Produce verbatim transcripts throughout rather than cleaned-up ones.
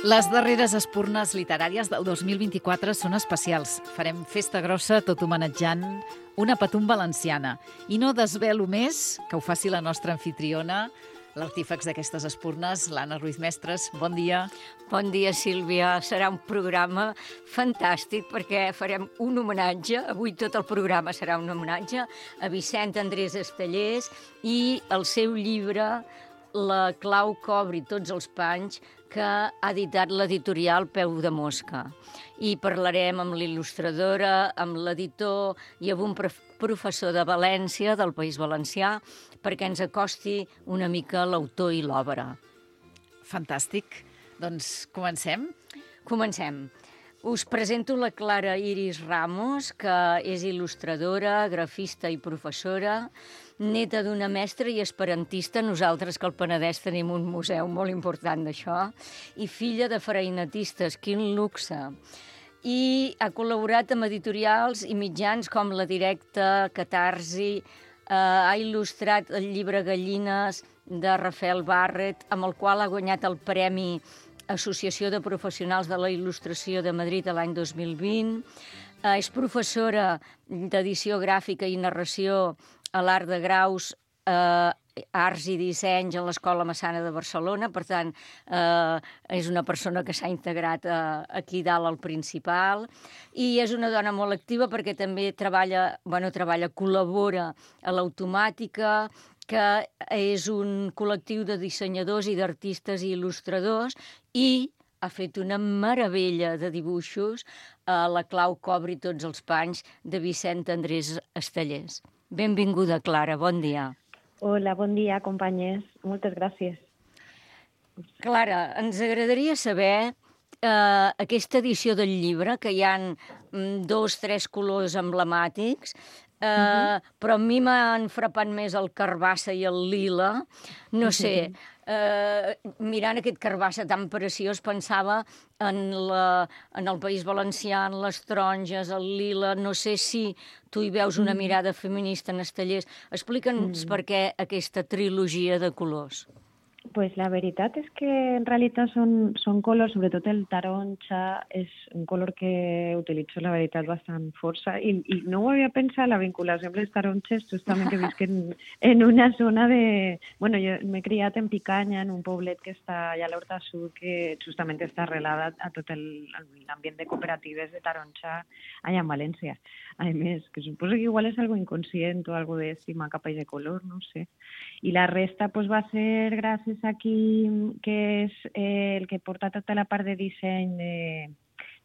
Les darreres espurnes literàries del dos mil vint-i-quatre són especials. Farem festa grossa tot homenatjant una patum valenciana. I no desvelo més, que ho faci la nostra anfitriona, l'artífex d'aquestes espurnes, l'Anna Ruiz Mestres. Bon dia. Bon dia, Sílvia. Serà un programa fantàstic perquè farem un homenatge. Avui tot el programa serà un homenatge a Vicent Andrés Estellés i el seu llibre La clau que obri tots els panys, que ha editat l'editorial Peu de Mosca. I parlarem amb l'il·lustradora, amb l'editor i amb un professor de València, del País Valencià, perquè ens acosti una mica l'autor i l'obra. Fantàstic. Doncs comencem? Comencem. Us presento la Clara Iris Ramos, que és il·lustradora, grafista i professora, neta d'una mestra i esperantista, nosaltres que al Penedès tenim un museu molt important d'això, i filla de freinetistes, quin luxe. I ha col·laborat amb editorials i mitjans com La Directa, Catarsi, eh, ha il·lustrat el llibre Gallines de Rafael Barret, amb el qual ha guanyat el Premi Associació de Professionals de la Il·lustració de Madrid l'any dos mil vint. Eh, és professora d'edició gràfica i narració a l'Art de Graus, eh, Arts i Dissenys a l'Escola Massana de Barcelona. Per tant, eh, és una persona que s'ha integrat eh, aquí dalt al Principal. I és una dona molt activa perquè també treballa, bueno, treballa, col·labora a l'Automàtica, que és un col·lectiu de dissenyadors i d'artistes i il·lustradors, i ha fet una meravella de dibuixos a La clau que obri tots els panys, de Vicent Andrés Estellés. Benvinguda, Clara, bon dia. Hola, bon dia, companyes. Moltes gràcies. Clara, ens agradaria saber eh, aquesta edició del llibre, que hi ha mm, dos, tres colors emblemàtics, eh, uh-huh. però a mi m'han frapat més el carbassa i el lila. No sé, eh, mirant aquest carbassa tan preciós, pensava en, la, en el País Valencià, en les taronges, el lila. No sé si tu hi veus una mirada feminista en Estellés. Explica'ns mm. per què aquesta trilogia de colors. Pues la veritat és que en realitat són, són colors, sobretot el taronja, és un color que utilitzo, la veritat, bastant força. I, i no ho havia pensat, la vinculació amb les taronges, justament que visc en, en una zona de... Bueno, jo m'he criat en Picanya, en un poblet que està allà a l'Horta Sud, que justament està arrelada a tot l'ambient de cooperatives de taronja allà en València. A més, que suposo que igual és algo inconscient o algo d'estima cap a de color, no sé. I la resta pues, va ser gràcies aquí, que és eh, el que porta tota la part de disseny de,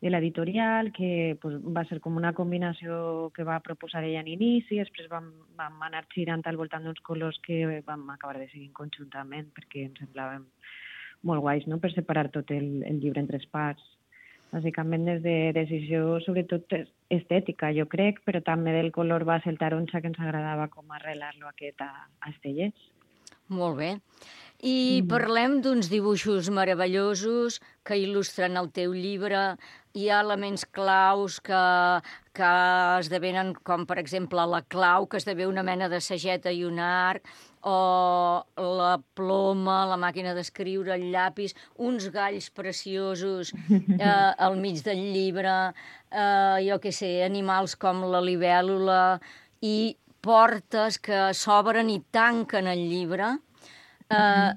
de l'editorial, que pues, va ser com una combinació que va proposar ella en inici, després vam, vam anar girant al voltant d'uns colors que vam acabar decidir conjuntament perquè em semblaven molt guais, no?, per separar tot el, el llibre en tres parts. Bàsicament des de decisió, sobretot estètica, jo crec, però també del color va ser el taronja, que ens agradava com arrelar-lo aquest a, a Estellés. Molt bé. I mm. parlem d'uns dibuixos meravellosos que il·lustren el teu llibre. Hi ha elements claus que, que esdevenen, com per exemple la clau, que esdevé una mena de sageta i un arc, o la ploma, la màquina d'escriure, el llapis, uns galls preciosos eh, al mig del llibre, eh, jo què sé, animals com la libèl·lula, i portes que s'obren i tanquen el llibre. Eh,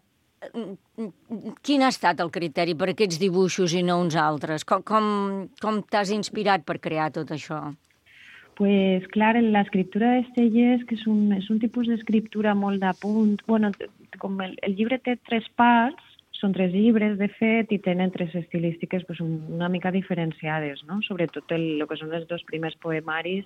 quin ha estat el criteri per aquests dibuixos i no uns altres? Com, com, com t'has inspirat per crear tot això? Pues, clar, l'escriptura d'Estellés, que és un, és un tipus d'escriptura molt d'apunt, bueno, com el, el llibre té tres parts, són tres llibres, de fet, i tenen tres estilístiques pues, una mica diferenciades, no? Sobretot el, el que són els dos primers poemaris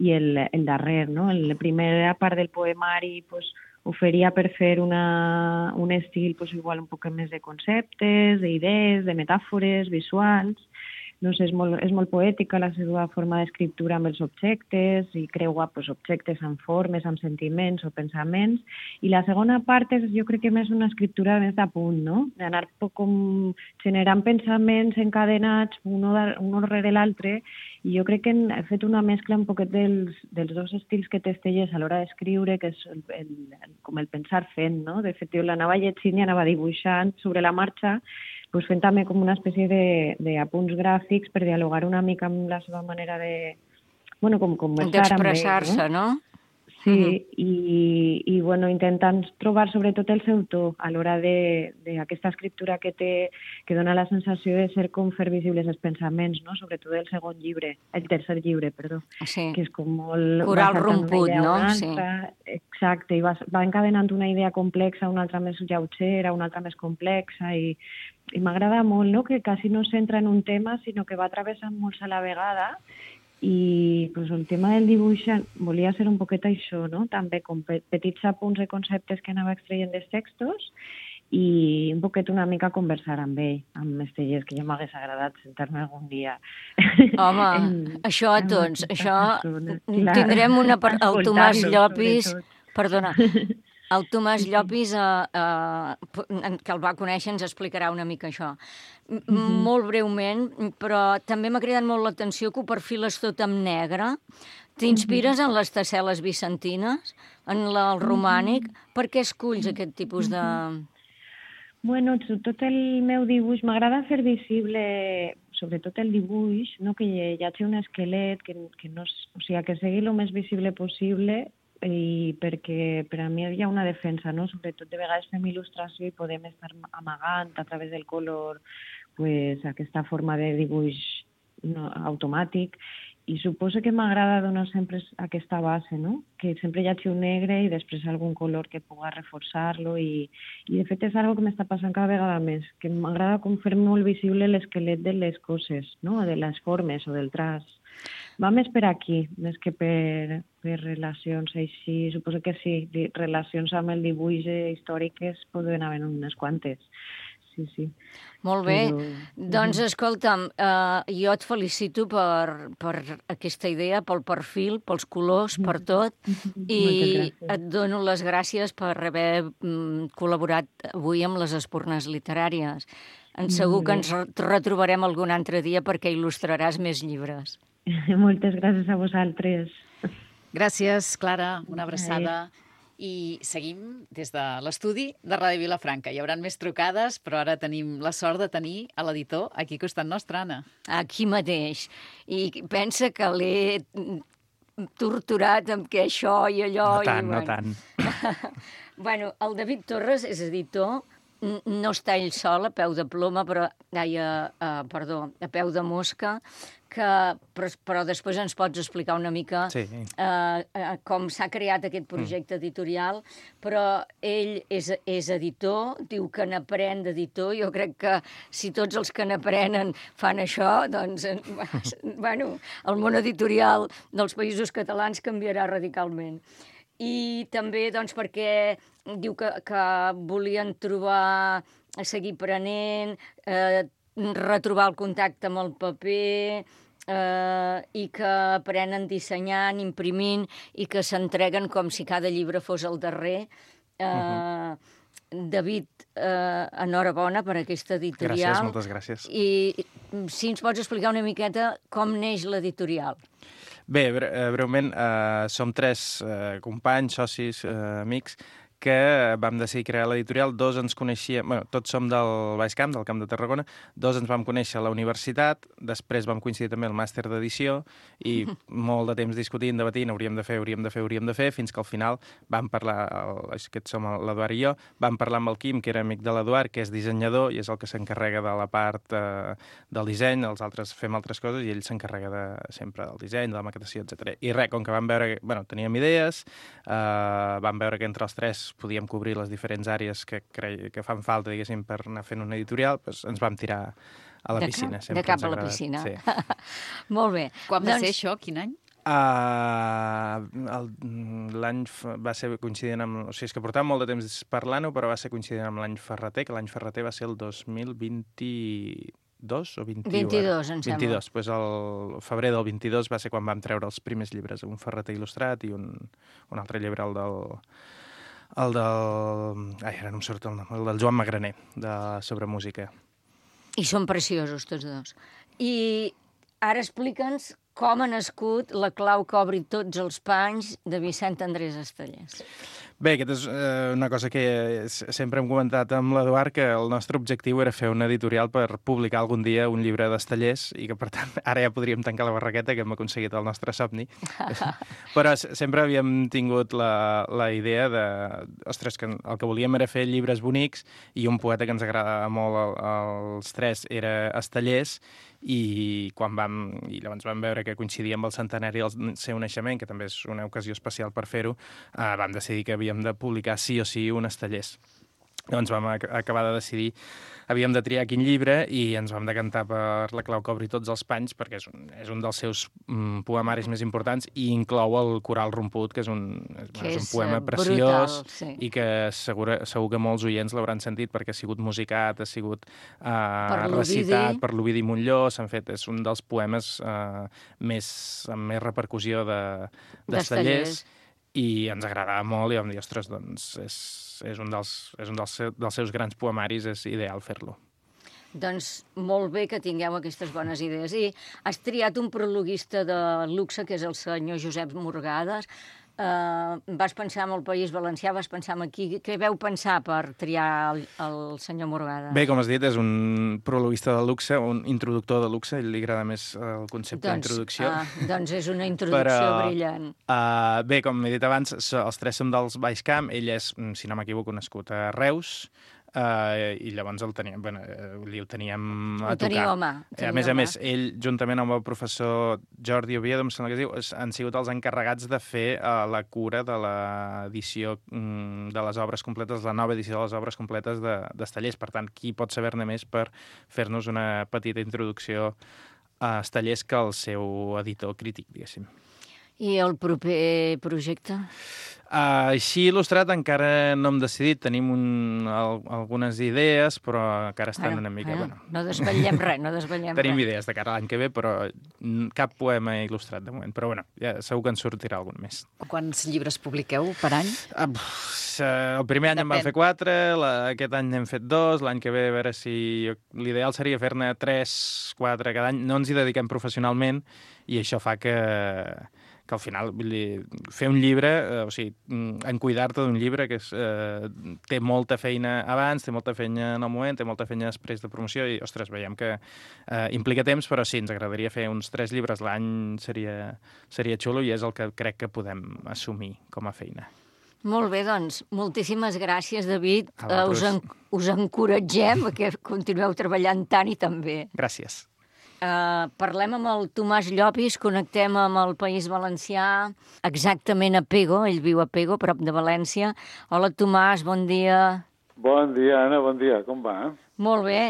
i el, el darrer, no? La primera part del poemari pues, oferia per fer una, un estil pues, igual un poc més de conceptes, d'idees, de metàfores visuals. No sé, és molt, és molt poètica la seva forma d'escriptura amb els objectes i creua pues, objectes amb formes, amb sentiments o pensaments. I la segona part és, jo crec que més una escriptura més d'apunt, no? D'anar com generant pensaments encadenats un, un rere l'altre, i jo crec que he fet una mescla un poquet dels, dels dos estils que té Estellés a l'hora d'escriure, que és el, el, com el pensar fent, no? De fet, jo l'anava llegint i anava dibuixant sobre la marxa, pues, fent també com una espècie d'apunts gràfics per dialogar una mica amb la seva manera de... Bueno, com conversar amb ell, d'expressar-se, no? Sí, uh-huh. i, i bueno, intentant trobar sobretot el seu to a l'hora d'aquesta escriptura que té, que dona la sensació de ser com fer visibles els pensaments, no? Sobretot el segon llibre, el tercer llibre, perdó, sí. que és com molt... Coral romput, no? Sí. Exacte, i va, va encadenant una idea complexa, una altra més lleugera, una altra més complexa, i, i m'agrada molt, no?, que quasi no es centra en un tema, sinó que va travessant molts a la vegada. I pues, el tema del dibuix volia ser un poquet això, no? També com petits apunts de conceptes que anava extraient dels textos i un poquet una mica conversar amb ell, amb Estellers, que ja m'hagués agradat sentar-me algun dia. Home, en, això a tots, això tindrem una per... el Tomàs Llopis, perdona, el Tomàs Llopis, eh, eh, que el va conèixer, ens explicarà una mica això. Mm-hmm. Molt breument, però també m'ha cridat molt l'atenció que ho perfiles tot en negre. T'inspires mm-hmm. en les tessel·les vicentines, en la, el romànic? Mm-hmm. Per què esculls aquest tipus de... Bueno, tot el meu dibuix, m'agrada fer visible, sobretot el dibuix, no? Que hi hagi un esquelet, que, que, no, o sigui, que sigui el més visible possible, i perquè per a mi hi ha una defensa, no? Sobretot de vegades fem il·lustració i podem estar amagant a través del color pues, aquesta forma de dibuix no, automàtic, i suposo que m'agrada donar sempre aquesta base, no? Que sempre hi hagi un negre i després algun color que pugui reforçar-lo, i, i de fet és una que m'està passant cada vegada més, que m'agrada com fer molt visible l'esquelet de les coses, no? De les formes o del traç. Va més per aquí, més que per, per relacions així. Suposo que sí, relacions amb el dibuix històriques poden haver unes quantes. Sí, sí. Molt bé. Però... Doncs, escolta'm, eh, jo et felicito per, per aquesta idea, pel perfil, pels colors, per tot, i et dono les gràcies per haver mm, col·laborat avui amb les Espurnes Literàries. En segur que ens retrobarem algun altre dia perquè il·lustraràs més llibres. Moltes gràcies a vosaltres. Gràcies, Clara, una abraçada. I seguim des de l'estudi de Ràdio Vilafranca. Hi haurà més trucades, però ara tenim la sort de tenir a l'editor aquí al costat nostre, Anna. Aquí mateix. I pensa que l'he torturat amb que això i allò... No tant, i, bueno. no tant. Bueno, el David Torres és editor, no està ell sol, a peu de ploma, però, ai, a, a, perdó, a peu de mosca, que, però, però després ens pots explicar una mica sí. eh, eh, com s'ha creat aquest projecte mm. editorial, però ell és, és editor, diu que n'aprèn d'editor. Jo crec que si tots els que n'aprenen fan això, doncs, bueno, el món editorial dels Països Catalans canviarà radicalment. I també, doncs, perquè diu que, que volien trobar, seguir prenent, eh, retrobar el contacte amb el paper, eh, i que aprenen dissenyant, imprimint, i que s'entreguen com si cada llibre fos el darrer. Eh, uh-huh. David, eh, enhorabona per aquesta editorial. Gràcies, moltes gràcies. I si ens pots explicar una miqueta com neix l'editorial. Bé, breument, eh, som tres eh, companys, socis, eh, amics, que vam decidir crear l'editorial. Dos ens coneixíem, bueno, tots som del Baix Camp, del Camp de Tarragona, dos ens vam conèixer a la universitat, després vam coincidir també al màster d'edició i molt de temps discutint, debatint, hauríem de fer, hauríem de fer, hauríem de fer, fins que al final vam parlar, el, aquests som l'Eduard i jo, vam parlar amb el Quim, que era amic de l'Eduard, que és dissenyador i és el que s'encarrega de la part eh, del disseny, els altres fem altres coses i ell s'encarrega de, sempre del disseny, de la maquetació, etcètera. I res, com que vam veure, bueno, teníem idees, eh, vam veure que entre els tres podíem cobrir les diferents àrees que, cre... que fan falta, diguéssim, per anar fent una editorial, doncs ens vam tirar a la de piscina. Cap, de cap a la piscina. Sí. Molt bé. Quan va doncs... ser això? Quin any? Uh, l'any va ser coincidint amb... O sigui, és que portàvem molt de temps parlant-ho, però va ser coincidint amb l'any Ferreter, que l'any Ferreter va ser el dos mil vint-i-dos o vint-i-u? vint-i-dos, em sembla. vint-i-dos. Pues el febrer del vint-i-dos va ser quan vam treure els primers llibres, un Ferreter il·lustrat i un, un altre llibre, el del... el del... Ai, ara no em surt el nom. El del Joan Magraner, de, sobre música. I són preciosos, tots dos. I ara explica'ns Com ha nascut La clau que obri tots els panys de Vicent Andrés Estellés? Bé, aquesta és eh, una cosa que sempre hem comentat amb l'Eduard, que el nostre objectiu era fer una editorial per publicar algun dia un llibre d'Estellés i que, per tant, ara ja podríem tancar la barraqueta, que hem aconseguit el nostre somni. Però sempre havíem tingut la, la idea de... Ostres, que el que volíem era fer llibres bonics i un poeta que ens agrada molt als tres era Estellés, i quan vam, i llavors vam veure que coincidia amb el centenari del seu naixement, que també és una ocasió especial per fer-ho, eh, vam decidir que havíem de publicar sí o sí un Estellés. Llavors vam ac acabar de decidir, havíem de triar quin llibre i ens vam decantar per La clau que obri tots els panys, perquè és un, és un dels seus mm, poemaris més importants i inclou el Coral romput, que és un, que és un poema preciós, brutal, sí. I que segur, segur que molts oients l'hauran sentit perquè ha sigut musicat, ha sigut eh, per recitat per l'Ovidi Montllor, s'han fet, és un dels poemes eh, més, amb més repercussió d'Estellés, de, i ens agradava molt i vam dir, ostres, doncs és, és un, dels, és un dels, dels seus grans poemaris, és ideal fer-lo. Doncs molt bé que tingueu aquestes bones idees. I has triat un prologuista de luxe, que és el senyor Josep Morgades. Uh, vas pensar en el País Valencià, vas pensar en aquí. Què veu pensar per triar el, el senyor Morgades? Bé, com has dit, és un prologuista de luxe, un introductor de luxe, ell li agrada més el concepte doncs, d'introducció. Uh, doncs és una introducció Però, brillant. Uh, bé, com he dit abans, els tres som dels Baix Camp, ell és, si no m'equivoco, nascut a Reus, Uh, i llavors el teníem, bueno, el teníem a ho tocar. Home, a més a més, ell, juntament amb el professor Jordi Oviedo, em sembla que es diu, han sigut els encarregats de fer uh, la cura de l'edició um, de les obres completes, la nova edició de les obres completes d'Estellés. Per tant, qui pot saber-ne més per fer-nos una petita introducció a Estellés que el seu editor crític, diguéssim. I el proper projecte? Uh, així il·lustrat encara no hem decidit. Tenim un, al, algunes idees, però encara estan bueno, una mica... Bueno, bueno. No desvetllem res, no desvetllem Tenim res. idees de cara a l'any que ve, però cap poema il·lustrat de moment. Però bueno, ja segur que en sortirà algun més. Quants llibres publiqueu per any? Uh, el primer any Depèn. en vam fer quatre, la, aquest any n'hem fet dos, l'any que ve a veure si... L'ideal seria fer-ne tres, quatre cada any. No ens hi dediquem professionalment i això fa que... que al final vull dir, fer un llibre, eh, o sigui, en cuidar-te d'un llibre que és, eh, té molta feina abans, té molta feina en el moment, té molta feina després de promoció i, ostres, veiem que eh, implica temps, però sí, ens agradaria fer uns tres llibres l'any, seria, seria xulo i és el que crec que podem assumir com a feina. Molt bé, doncs, moltíssimes gràcies, David. Uh, us, en, us encoratgem que continueu treballant tant i tan bé. Gràcies. Uh, parlem amb el Tomàs Llopis, connectem amb el País Valencià, exactament a Pego, ell viu a Pego, prop de València. Hola, Tomàs, bon dia. Bon dia, Anna, bon dia, com va? Molt bé.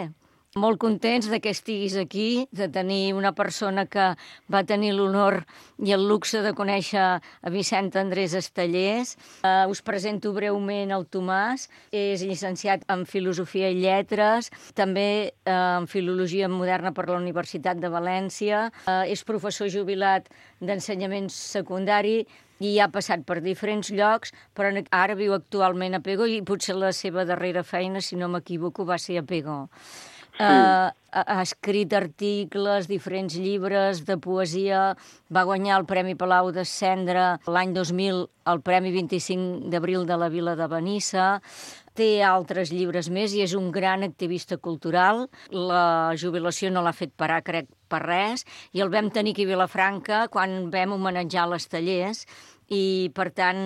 Molt contents de que estiguis aquí, de tenir una persona que va tenir l'honor i el luxe de conèixer a Vicent Andrés Estellés. Uh, us presento breument el Tomàs. És llicenciat en Filosofia i Lletres, també uh, en Filologia Moderna per la Universitat de València. Uh, és professor jubilat d'ensenyament secundari i ha passat per diferents llocs, però ara viu actualment a Pego i potser la seva darrera feina, si no m'equivoco, va ser a Pego. Sí. Uh, ha escrit articles, diferents llibres de poesia, va guanyar el Premi Palau de Cendra l'any dos mil, el Premi vint-i-cinc d'abril de la Vila de Benissa, té altres llibres més i és un gran activista cultural. La jubilació no l'ha fet parar, crec, per res, i el vam tenir aquí a Vilafranca quan vam homenatjar l'Estellés, i, per tant,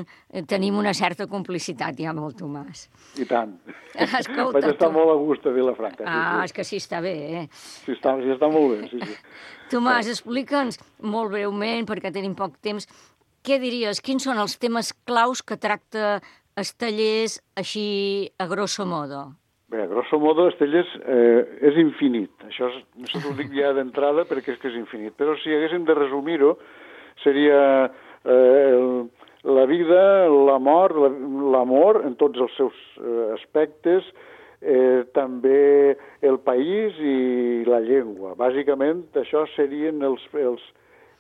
tenim una certa complicitat ja amb el Tomàs. I tant. Escolta, vaig estar tu... molt a gust a Vilafranca. Ah, sí, sí. És que sí està bé, eh? Sí, està, sí, està molt bé, sí, sí. Tomàs, explica'ns molt breument, perquè tenim poc temps, què diries, quins són els temes claus que tracta Estellés així a grosso modo? Bé, a grosso modo, Estellés eh, és infinit. Això és, no sé, ho dic ja d'entrada perquè és que és infinit. Però si haguéssim de resumir-ho, seria... Eh, la vida, la mort, l'amor en tots els seus eh, aspectes, eh, també el país i la llengua. Bàsicament, això serien els, els,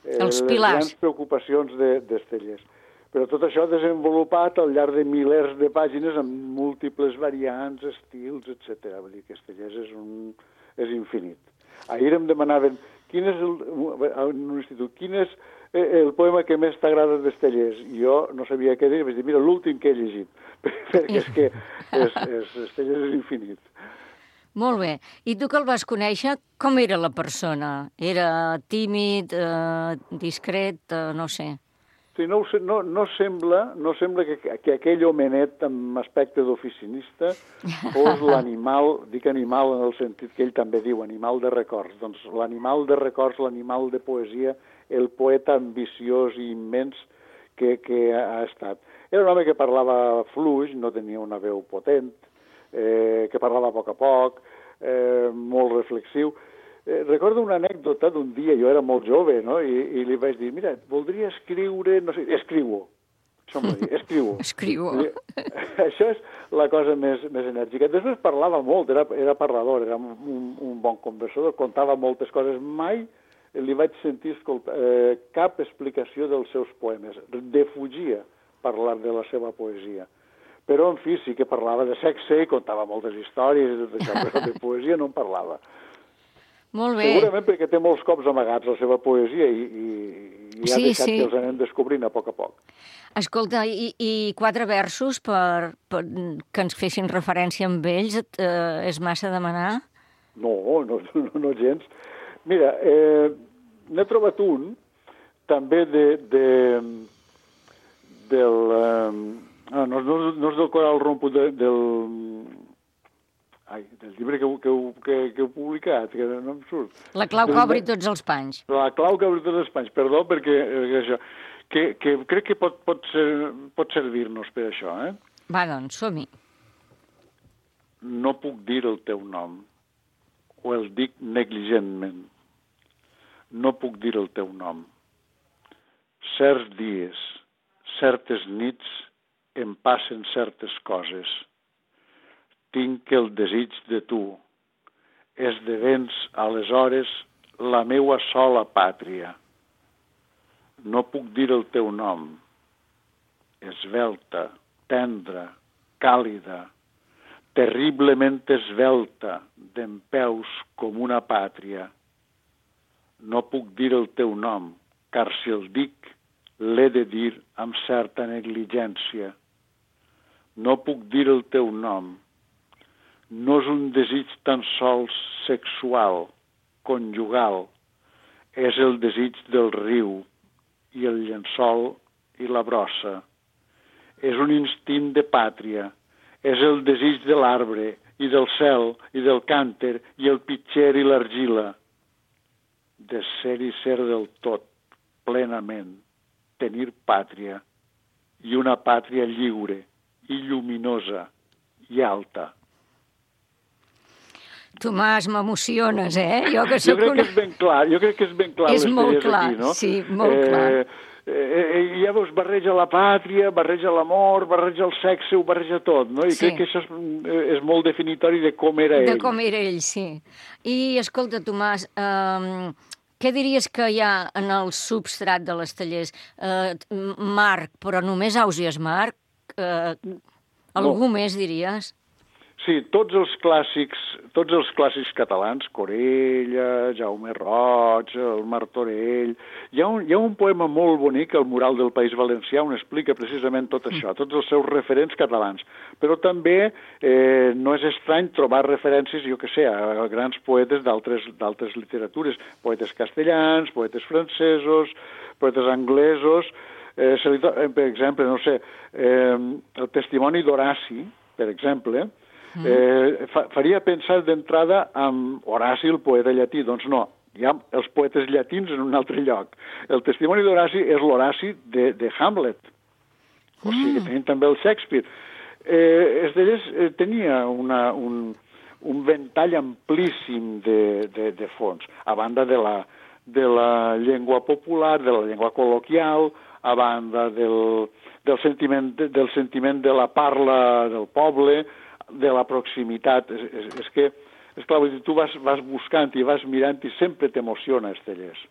eh, els pilars. Les grans preocupacions d'Estellés. Però tot això desenvolupat al llarg de milers de pàgines amb múltiples variants, estils, etcètera. Vull dir que Estellés és, un, és infinit. Ahir em demanaven quin és el, en un institut, quin és el poema que més t'agrada d'Estellers? I jo no sabia què dir, vaig dir, mira, l'últim que he llegit, perquè és que és, és, Estellers és infinit. Molt bé. I tu que el vas conèixer, com era la persona? Era tímid, eh, discret, eh, no sé. Sí, no, no, no sembla, no sembla que, que aquell homenet amb aspecte d'oficinista fos l'animal, dic animal en el sentit que ell també diu, animal de records. Doncs l'animal de records, l'animal de poesia, el poeta ambiciós i immens que, que ha estat. Era un home que parlava fluix, no tenia una veu potent, eh, que parlava a poc a poc, eh, molt reflexiu. Eh, recordo una anècdota d'un dia, jo era molt jove, no?, I, i li vaig dir, mira, voldria escriure, no sé, escriu-ho. Això em va dir, escriu-ho. Escriu-ho. Això és la cosa més, més enèrgica. Després parlava molt, era, era parlador, era un, un bon conversador, contava moltes coses. Mai li vaig sentir escoltar, eh, cap explicació dels seus poemes. Defugia parlar de la seva poesia. Però, en fi, sí que parlava de sexe i contava moltes històries i tot això, però de poesia no en parlava. Molt bé. Segurament perquè té molts cops amagats la seva poesia i, i, i ha Sí, deixat sí. que els anem descobrint a poc a poc. Escolta, i, i quatre versos per, per, que ens fessin referència amb ells, eh, és massa demanar? No, no, no, no gens. Mira, eh, n'he trobat un, també de, de, del... Eh, ah, no, no, no és del Coral Rompo, de, del... Ai, del llibre que, que, que, que heu publicat, que no em surt. La clau que obri tots els panys. La clau que obri tots els panys, perdó, perquè eh, això, que, que crec que pot, pot, ser, pot servir-nos per això, eh? Va, doncs, som-hi. No puc dir el teu nom, o el dic negligentment. No puc dir el teu nom. Certs dies, certes nits, em passen certes coses. Tinc el desig de tu. Esdevens, aleshores, la meua sola pàtria. No puc dir el teu nom. Esvelta, tendra, càlida, terriblement esvelta, dempeus com una pàtria. No puc dir el teu nom, car si el dic, l'he de dir amb certa negligència. No puc dir el teu nom. No és un desig tan sols sexual, conjugal. És el desig del riu i el llençol i la brossa. És un instint de pàtria. És el desig de l'arbre i del cel i del cànter i el pitxer i l'argila. De ser i ser del tot, plenament, tenir pàtria i una pàtria lliure i lluminosa i alta. Tomàs, m'emociones, eh? Jo, que jo crec una... que és ben clar, jo crec que és ben clar. És molt clar, aquí, no? sí, molt eh, clar. Eh, ja veus, barreja la pàtria, barreja l'amor, barreja el sexe, ho barreja tot, no? I Sí. crec que això és, és molt definitori de com era ell. De com era ell, sí. I, escolta, Tomàs, eh, què diries que hi ha en el substrat de les Tallers? Eh, Marc, però només Ausiàs Marc? Eh, algú no. més, diries? Sí, tots els clàssics, tots els clàssics catalans, Corella, Jaume Roig, el Martorell... Hi ha, un, hi ha un poema molt bonic, El mural del País Valencià, on explica precisament tot això, tots els seus referents catalans. Però també eh, no és estrany trobar referències, jo que sé, a grans poetes d'altres literatures, poetes castellans, poetes francesos, poetes anglesos... Eh, li, per exemple, no sé, eh, el testimoni d'Horaci, per exemple... Eh, fa, faria pensar d'entrada amb Horaci, el poeta llatí. Doncs no, hi ha els poetes llatins en un altre lloc. El testimoni d'Horaci és l'Horaci de, de Hamlet. O sigui, que tenim també el Shakespeare. Eh, Estellers eh, tenia una, un, un ventall amplíssim de, de, de fons, a banda de la, de la llengua popular, de la llengua col·loquial, a banda del, del, sentiment, del sentiment de la parla del poble, de la proximitat. És, és, és que, és clar, tu vas, vas buscant i vas mirant i sempre t'emociona, Estellers.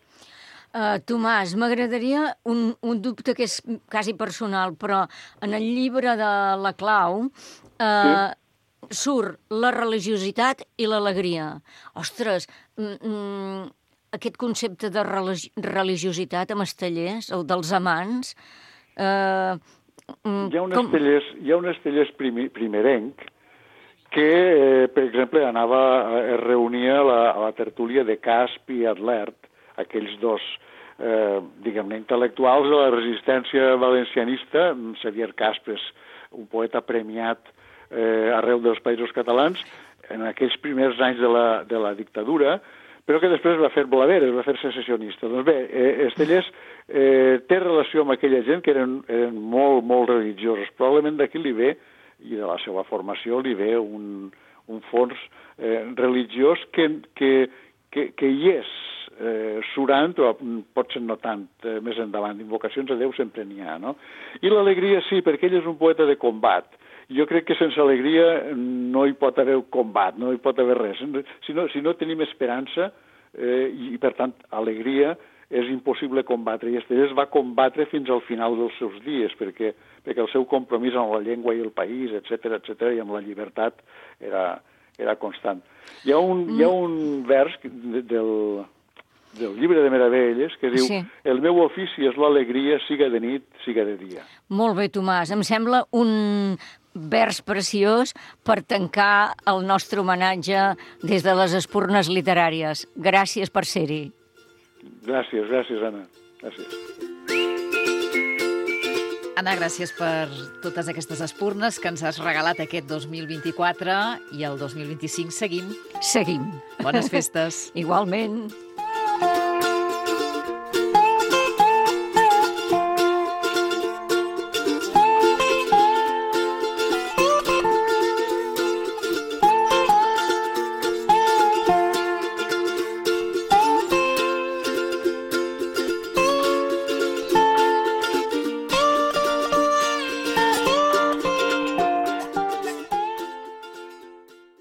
Uh, Tomàs, m'agradaria un, un dubte que és quasi personal, però en el llibre de La clau uh, sí. surt la religiositat i l'alegria. Ostres, mm, aquest concepte de religi religiositat amb Estellers, el dels amants... Eh, hi ha un com... Estellers, hi ha un Estellers primi, primerenc que, eh, per exemple, anava, es reunia a la, a la tertúlia de Casp i Adlert, aquells dos, eh, diguem-ne, intel·lectuals de la resistència valencianista. Xavier Casp és un poeta premiat eh, arreu dels països catalans en aquells primers anys de la, de la dictadura, però que després va fer blaver, es va fer secessionista. Doncs bé, eh, Estellers eh, té relació amb aquella gent que eren, eren molt, molt religiosos. Probablement d'aquí li ve, i de la seva formació, li ve un, un fons eh, religiós que, que, que, que hi és, eh, surant, o potser no tant, eh, més endavant. Invocacions a Déu sempre n'hi ha, no? I l'alegria sí, perquè ell és un poeta de combat. Jo crec que sense alegria no hi pot haver combat, no hi pot haver res. Si no, si no tenim esperança, eh, i per tant alegria, és impossible combatre. I Estellers va combatre fins al final dels seus dies, perquè, perquè el seu compromís amb la llengua i el país, etcètera, etcètera, i amb la llibertat era, era constant. Hi ha un, mm. hi ha un vers del... del llibre de Meravelles, que diu sí. El meu ofici és l'alegria, siga de nit, siga de dia. Molt bé, Tomàs. Em sembla un vers preciós per tancar el nostre homenatge des de les espurnes literàries. Gràcies per ser-hi. Gràcies, gràcies, Anna. Gràcies. Anna, gràcies per totes aquestes espurnes que ens has regalat aquest dos mil vint-i-quatre i el dos mil vint-i-cinc seguim. Seguim. Bones festes. Igualment.